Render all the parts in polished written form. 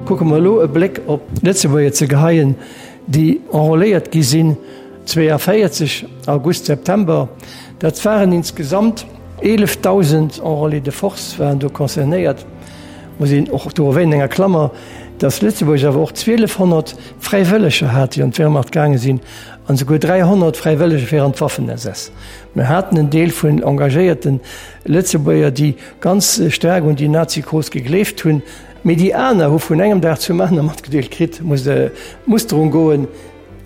Kucke mer elo e Bléck op d'Lëtzebuerger ze geheien, déi enrôléiert gi sinn 42, August, September. Dat waren insgesamt 11.000 Enrôlés de force waren do concernéiert. Muss een och do erwähnen, enger Klammer, dass Lëtzebuerg awer och 1.200 Fräiwëlleger hat, déi an d'Wehrmacht gaange sinn, an esouguer 300 Fräiwëlleger fir an d'Waffen-SS. Mir haten en Deel vun engagéierte Lëtzebuerger, déi ganz staark un déi Nazi-Cause gegleeft hunn, mee déi aner hu vun engem Dag zum aner matgedeelt kritt, muss d'Musterung goen,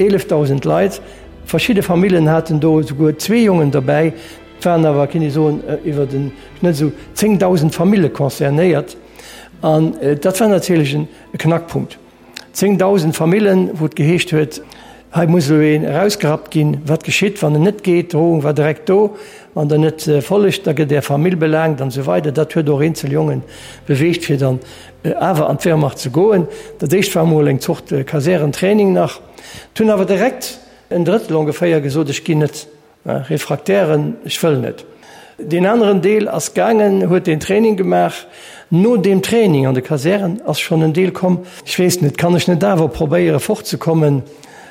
11.000 Leit. Verschidde Famillen haten do esouguer zwee Jongen derbäi. Et waren awer, kéint ee soen, iwwer den Schnëtt esou 10.000 Famille concernéiert. An dat war natierlech e Knackpunkt. 10.000 Famillen, wou et geheescht huet, hei muss elo een erausgerappt ginn. Wat geschitt, wann en net geet? D'Drohung war direkt do, Wann Der net follegt, da gëtt Är Famill belaangt an esou weider. Dat huet och eenzel Jonge beweegt, fir dann awer an d'Wehrmacht ze goen. Dat éischt war emol eng Zort Kasärentraining nach. Et hunn awer direkt en Drëttel ongeféier gesot, ech ginn net. Refraktären, ech wëll net. Deen aneren Deel ass gaangen, huet deen Training gemaach. No deem Training an de Kasären ass schonn en Deel komm, ech weess net, kann ech net awer probéiere fortzekommen?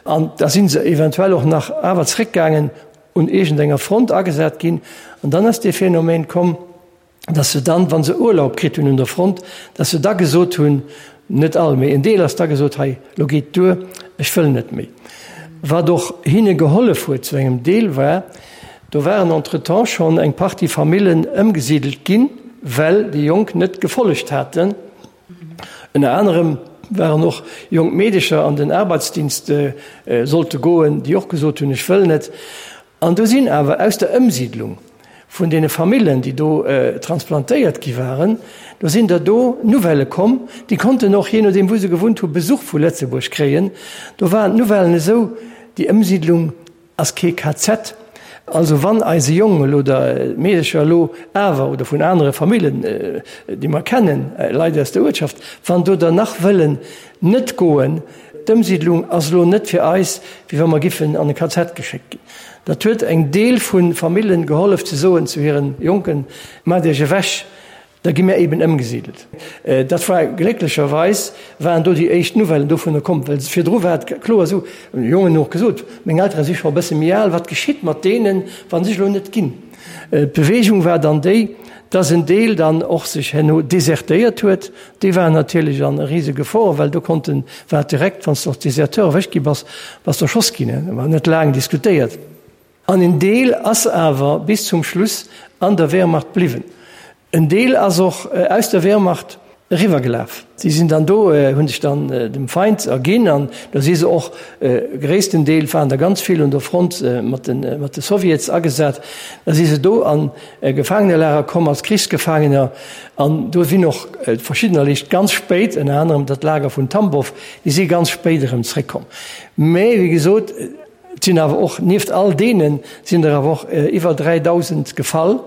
An da si se eventuell och nach awer zréckgaangen, un iergendenger Front agesat ginn. An dann ass dee Phänomen komm, dass se dann, wa se Urlaub kritt hunn un der Front, dass se da gesot hunn, net all, mee en Deel ass da gesot, hei, lo geet duer, ech wëll net méi. Wat och hinne gehollef huet zu engem Deel war, do waren entretemps schonn eng Partie Famillen ëmgesidelt ginn, well déi Jonk net gefollegt haten. Ënner anerem waren och jonk Meedecher an den Arbeitsdienst sollte goen, déi och gesot hunn, ech wëll net. An do sinn awer aus der Ëmsiidlung vun deene Famillen, déi do transplantéiert gi waren, do sinn der do Nouvellë komm, déi konnten och, jee nodeem wou se gewunnt hu, Besuch vu Lëtzebuerg kréien. Do waren d'Nouvellen esou, déi Ëmsiidlung ass kee KZ. Also wann eise Jong elo oder d'Meedercher elo awer, oder vun anere Famillen, déi mer kennen, Leit aus der Uertschaft, wann do der nach wëllen net goen, D'Ëmsiidlung ass elo net fir eis, wéi wa mer giffen an e KZ geschéckt ginn. Dat huet eng Deel vu Famillen gehollef ze soen zu hiren Jonken, Maacht Iech ewech, da gi mir eben ëmgesidelt. Dat war glécklecherweis waren do déi éischt Nouvellen dovunner komm, well virdru war et kloer esou, hunn déi Jongen och gesot, meng Eltere si scho e bësse méi al, wat geschitt mat deenen, wa sech elo net ginn? D'Beweegung war dann déi, dass en Deel dann och sech herno desertéiert huet. Déi waren natierlech an rise Gefor, well do konnten, war et direkt, wann s de als Deserteur erwëscht gi bass, bass de erschoss ginn. Da war net laang diskutéiert. An en Deel ass awer bis zum Schluss an der Wehrmacht bliwwen. En Deel ass och aus der Wehrmacht eriwwergelaf. Si sinn dann do, hu sech dann dem Feind erginn an do si se och, gréissten Deel waren der ganz vill un der Front mat de mat de Sowjets agesat, da si se do an Gefaangenelager komm als Krichsgefaangener an do sinn och verschiddener eréischt ganz spéit, ënner anerem dat Lager vun Tambow, déi si ganz spéit erëm zréckkomm. Mä wéi gesot, Et sinn awer och, nieft all deenen, sinn der awer och iwwer 3.000 gefall,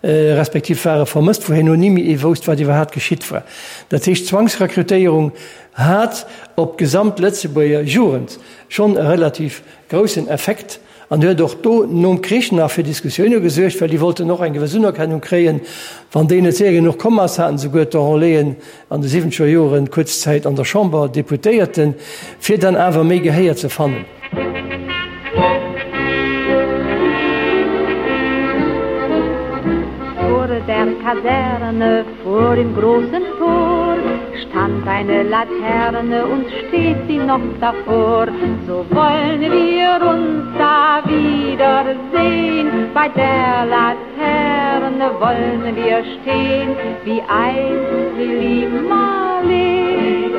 respektiv ware vermësst, wou herno ni méi ee wousst, wat iwwerhaapt geschitt war. Dat heescht, d'Zwangsrekrutéierung hat op d'gesamt Lëtzebuerger Jugend schonn e relativ groussen Effekt an huet och do nom Krich nach fir Diskussioune gesuergt, well déi wollten och eng gewëss Unerkennung kréien. Wann déi net séier genuch komm ass, haten souguer d'Enrôléen an de siwwenzeger Joren kuerz Zäit an der Chamber Deputéierten, fir dann awer méi Gehéier ze fannen. Vor der Kaserne, vor dem großen Tor, stand eine Laterne und steht sie noch davor. So wollen wir uns da wiedersehen bei der Laterne. Laterne wollen wir stehen, wie einst Lili Marleen,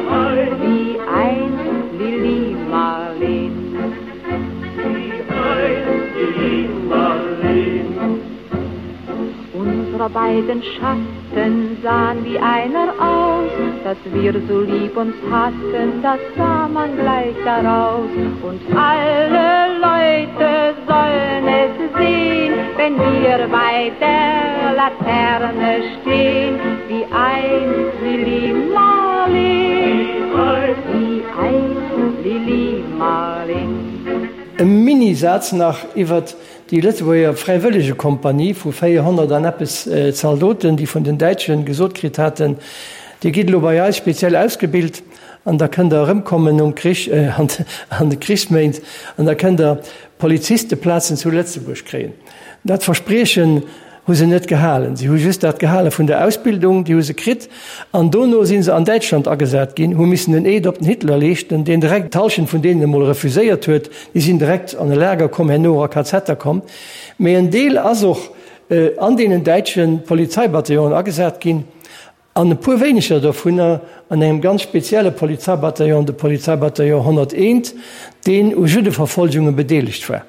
wie einst Lili Marleen. Wie einst Lili Marleen. Unsere beiden Schatten sahen wie einer aus, dass wir so lieb uns hatten, das sah man gleich daraus. Und alle Leute sollen es sehen, wenn wir bei der Laterne stehen, wie einst Lili Marleen, wie einst Lili Marleen. E Mini-Saz nach iwwert déi Lëtzebuerger Fräiwëllegekompanie vu 400 an eppes Zaldoten, déi vun den Däitsche gesot kritt haten, Dir gitt elo bei eis speziell ausgebilt. An da kënnt Der erëmkommen nom Krich, an de Krichsméint, an da kënnt Der Polizisteplazen zu Lëtzebuerg kréien. Dat Verspriechen hu se net gehalen. Si hu just dat gehale vun der Ausbildung, déi hu se kritt. An dono si se an Däitschland agesat ginn, hu missen den Eed op den Hitler leeschten, deen direkt d'Hallschent vun deenen emol refuséiert huet. Déi sinn direkt an e Lager komm, herno och a KZer komm. Mee en Deel ass och an deenen däitsche Polizeibataillonen agesat ginn. An e puer wéineger dovunner an engem ganz spezielle Polizeibataillon, de Polizeibataillon 101, deen u Juddeverfolgunge bedeelegt war.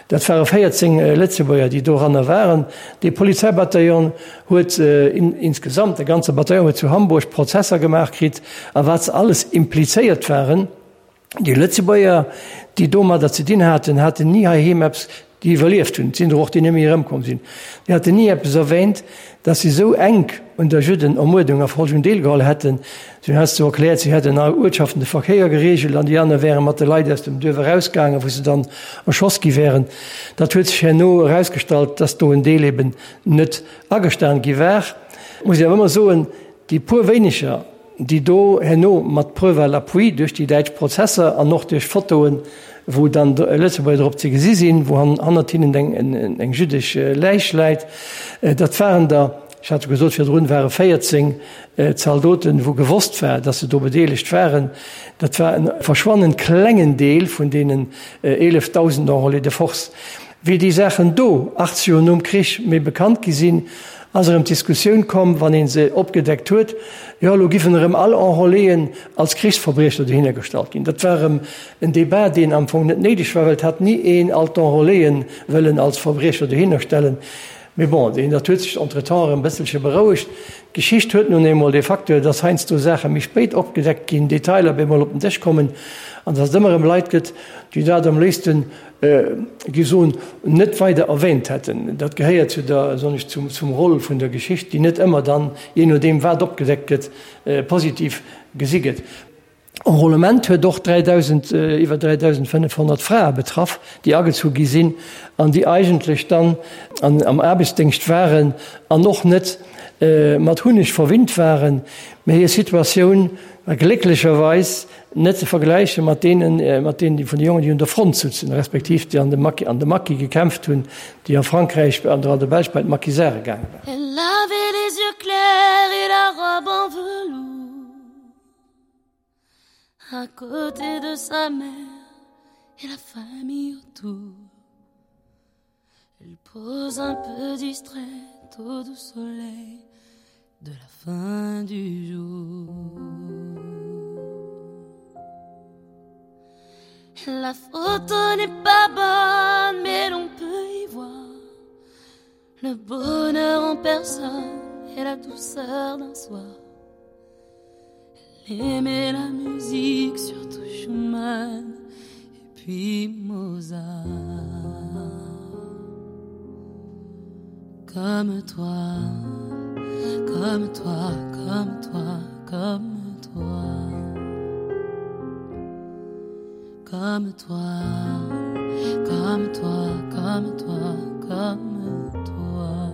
Dat ware 14 Lëtzebuerger, déi doranner waren. Dee Polizeibataillon huet insgesamt, de ganze Bataillon huet zu Hamburg Prozesser gemaach kritt, a wat se alles implizéiert waren. Déi Lëtzebuerger, déi domadder ze dinn haten, haten ni heiheem eppes, déi iwwerlieft hunn, et sinn der och, déi net méi erëmkomm sinn, déi haten ni eppes erwähnt, datt si esou enk un der Juddenermuerdung a Verfolgung deelgeholl hätten. Si hunn heiansdo erkläert, si hätten an Uertschaften de Verkéier gereegelt an déi aner wäre mat de Leit aus dem Duerf erausgaangen, wou se dann erschoss gi wären. Dat huet sech herno erausgestallt, datt do en Deel eben net agestan gi war. Muss ech awer ëmmer soen, déi puer wéineger, déi do herno mat Preuve à l'appui duerch déi däitsch Prozesser an och duerch Fotoen, wou dann Lëtzebuerger drop ze gesi sinn, wou hannert hinnen eng jüddesch Läich läit, dat waren der, ech hat jo gesot virdrun, ware 14 Zaldoten, wou gewosst war, datt se do bedeelegt waren. Dat war e verschwannend klengen Deel vun deenen 11.000 Enrôlés de force. Wéi déi Saachen do 80 Joer nom Krich méi bekannt gi sinn, ass erëm d'Diskussioun komm, wann ee se opgedeckt huet, jo elo giffen erëm all Enrôléen als Krichsverbriecher dohinner gestallt ginn. Dat war erëm en Débat, deen am Fong net néideg war, well et hat ni een all d'Enrôléen wëllen als Verbriecher dohinner stellen. Mee bon, deen, dat huet sech entretemps erëm e bësselche berouegt. D'Geschicht huet nun eemol dee Facteur, dass heiansdo Saache méi spéit opgedeckt ginn, Detailer op eemol op den Dësch kommen an dass et ëmmer erëm Leit gëtt, déi dat am léifsten, gi soen, net weider erwähnt hätten. Dat gehéiert zu der, soen ech, zum, zum Rôle vun der Geschicht, déi net ëmmer dann, jee nodeem wat opgedeckt gëtt, positiv gesi gëtt. Enrôlement huet och 3.000, iwwer 3.500 Frae betraff, déi agezu gi sinn an déi eigentlech dann an, am Aarbechtsdéngscht waren an och net mat Hunneg verwinnt waren, mä hir Situatioun war glécklecherweis Net ze vergläiche mat deenen, mat deenen, déi vun de Jongen, déi un der Front sutzen, respektiv déi an de Maquis, an de Maquis gekämpft hunn, déi a Frankräich an der an der Belsch bei d'Maquisarde gaange waren. Elle avait les yeux clairs et la robe en velours À côté de sa mère et la famille autour Elle pose un peu distraite au doux soleil de la fin du jour. La photo n'est pas bonne, mais l'on peut y voir le bonheur en personne et la douceur d'un soir. Elle aimait la musique, surtout Schumann et puis Mozart. Comme toi, comme toi, comme toi, comme toi. Comme toi, comme toi, comme toi, comme toi.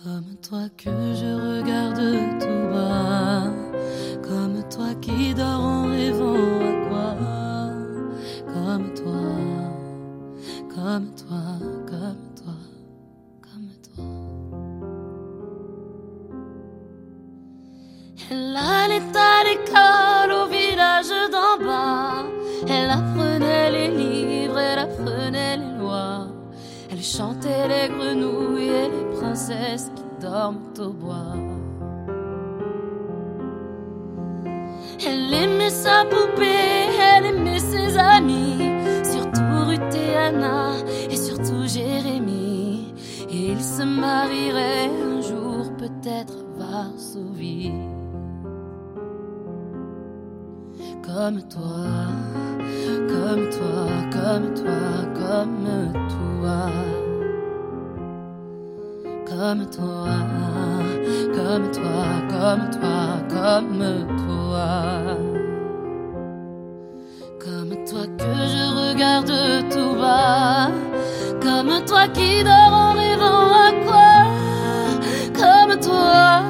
Comme toi que je regarde tout bas, comme toi qui dors en rêvant à quoi Comme toi, comme toi, comme toi, comme toi. Elle allait à l'école au village d'en bas. Elle apprenait les livres, elle apprenait les lois. Elle chantait les grenouilles et les princesses qui dorment au bois. Elle aimait sa poupée, elle aimait ses amis, surtout Ruth et Anna et surtout Jérémie. Et ils se marieraient un jour peut-être Varsovie. Comme toi, comme toi, comme toi, comme toi. Comme toi, comme toi, comme toi, comme toi. Comme toi que je regarde tout bas, comme toi qui dors en rêvant à quoi, comme toi,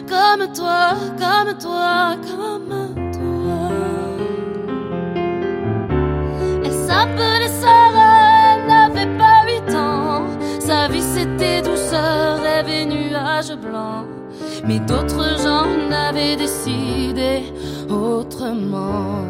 comme. Comme toi, comme toi, comme toi. Elle s'appelait Sarah, elle n'avait pas huit ans. Sa vie c'était douceur, rêve et nuages blancs. Mais d'autres gens n'avaient décidé autrement.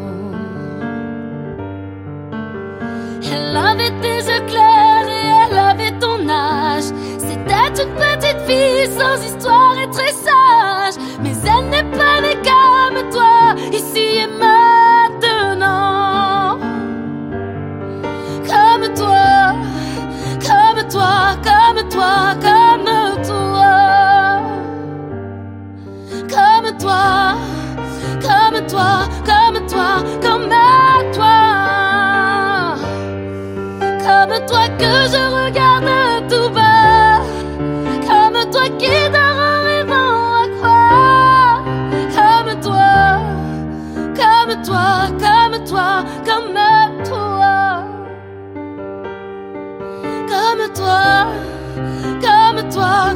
Elle avait des yeux clairs et elle avait ton âge. C'était une petite fille sans histoire et très sage. Mais elle n'est pas née comme toi, ici et maintenant. Comme toi, comme toi, comme toi, comme toi. Comme toi, comme toi, comme toi, comme toi. Comme toi que je regarde tout bas. Comme toi qui dort en rêvant à croire. Comme toi, comme toi, comme toi, comme toi. Comme toi, comme toi.